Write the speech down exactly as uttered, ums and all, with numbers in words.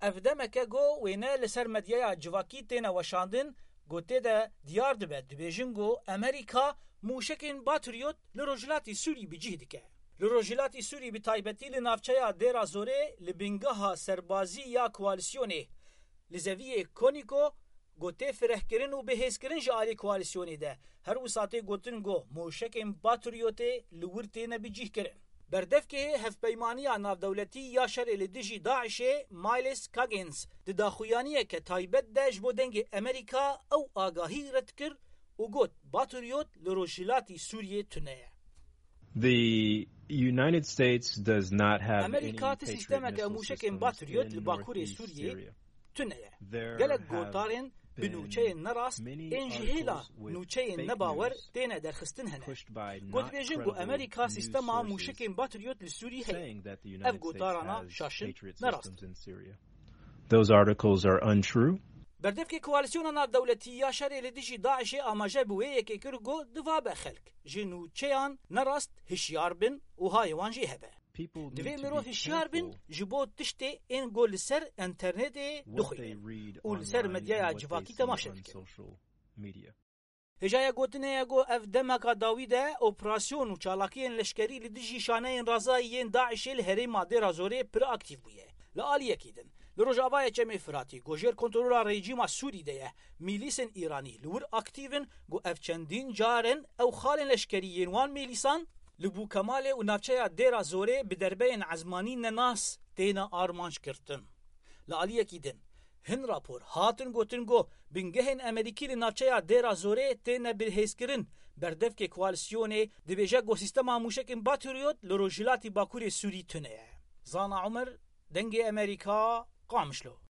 Ev demeke ku wêne li ser medyaya civakî têne weşandin, ku tê de diyar dibe, dibêjin ku Amerîka mûşekên Patriot li rojhilatî Sûrî bi cih dike. Li rojhilatî Sûrî, bi taybetî li navçeya Dêra Zorê, li bingeha serbazî ya koalîsyonê li zeviyê Konîko, ku tê firehkirin û bihêzkirin ji alî koalîsyonê de, her wisa tê gotin ku mûşekên Patriotê li wir têne bicihkirin. Berdevkê Hevpeymaniya Navdewletî ya Şerê li dijî DAIŞê, Myles Coggins, di daxuyaniyeke taybet de ji bo Dengê Amerîka ew agahî red kir û got, Patriot li rojhilatî Sûriyê tune ye. The United States does not have Amerîka any ti sîstemeke Patriot mûşekên missiles Patriot in li bakurê northeast Sûriyê Syria. Tune ye. There Gelek have gotarên bi been nûçeyên nerast many ên ji hêla articles with nûçeyên fake nebawer news têne derxistin hene. Pushed by Got not dibêjin ku credible Amerîka news sîstema sources mûşekên Patriot li Sûrî heye. Saying that the United Ev States gotarana has şaşin Patriot nerast. Systems in Syria. Those articles are untrue. Berdevkê Koalîsyona Navdewletî ya Şerê li dijî DAIŞê amaje bi wê yekê kir, got, divabe xelk ji nûçeyan nerast hişyar bin û hayê wan jê hebe. People need to be careful. Divê mirov hişyar bin ji bo tiştê ên ku li ser enternetê dixwînin û li ser medyaya civakî temaşe dikin. Hêjaya gotinê ye ku ev demeka dawî de operasyon û çalakiyên leşkerî li dijî şaneyên razayî yên DAIŞê li herêma Dêra Zorê pir aktîf bûye. Li aliyekî din, li rojavayê Çemê Firatî, ku jêr kontrola rejîma Sûrî de ye, mîlîsên Îranî li wir aktîf in, ku ev çendîn car in ew xalên leşkerî yên wan mîlîsan li Bûkemalê û navçeya Dêra Zorê bi derbeyên ezmanî nenas têne armanc girtin. Li aliyekî din, hin rapor hatin gotin ku bingehên Amerîkî li navçeya Dêra Zorê têne bihêzkirin. Berdevkê koalîsyonê dibêje ku sîstema mûşekên Patriot li rojhilatî bakurê Sûrî tune ye. Zana Omer, Dengê Amerîka, Qamişlo.